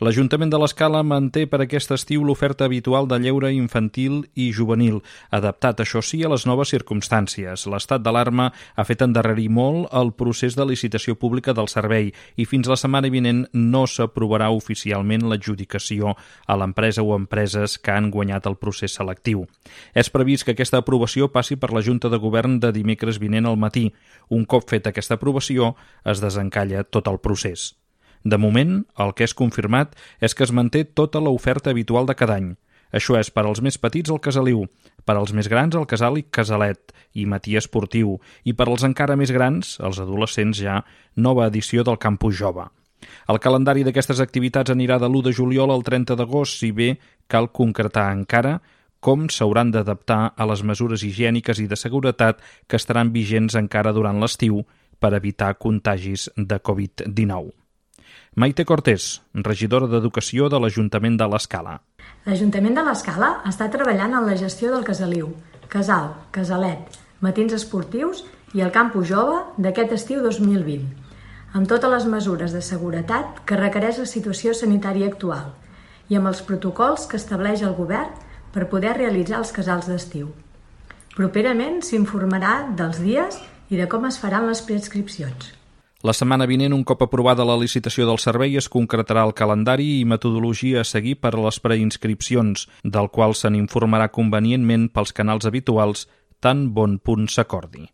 L'Ajuntament de l'Escala manté per aquest estiu l'oferta habitual de lleure infantil i juvenil, adaptat, això sí, a les noves circumstàncies. L'estat d'alarma ha fet endarrerir molt el procés de licitació pública del servei i fins la setmana vinent no s'aprovarà oficialment l'adjudicació a l'empresa o empreses que han guanyat el procés selectiu. És previst que aquesta aprovació passi per la Junta de Govern de dimecres vinent al matí. Un cop feta aquesta aprovació, es desencalla tot el procés. De moment, el que és confirmat és que es manté tota l'oferta habitual de cada any. Això és per als més petits el Casaliu, per als més grans el Casal i Casalet i Matí Esportiu i per als encara més grans, els adolescents ja, nova edició del Campus Jove. El calendari d'aquestes activitats anirà de l'1 de juliol al 30 d'agost, si bé cal concretar encara com s'hauran d'adaptar a les mesures higièniques i de seguretat que estaran vigents encara durant l'estiu per evitar contagis de Covid-19. Maite Cortés, regidora d'Educació de l'Ajuntament de l'Escala. L'Ajuntament de l'Escala està treballant en la gestió del Casaliu, Casal, Casalet, Matins Esportius i el Campus Jove d'aquest estiu 2020, amb totes les mesures de seguretat que requereix la situació sanitària actual i amb els protocols que estableix el govern per poder realitzar els casals d'estiu. Properament s'informarà dels dies i de com es faran les preinscripcions. La setmana vinent, un cop aprovada la licitació del servei, es concretarà el calendari i metodologia a seguir per a les preinscripcions, del qual se n'informarà convenientment pels canals habituals tan bon punt s'acordi.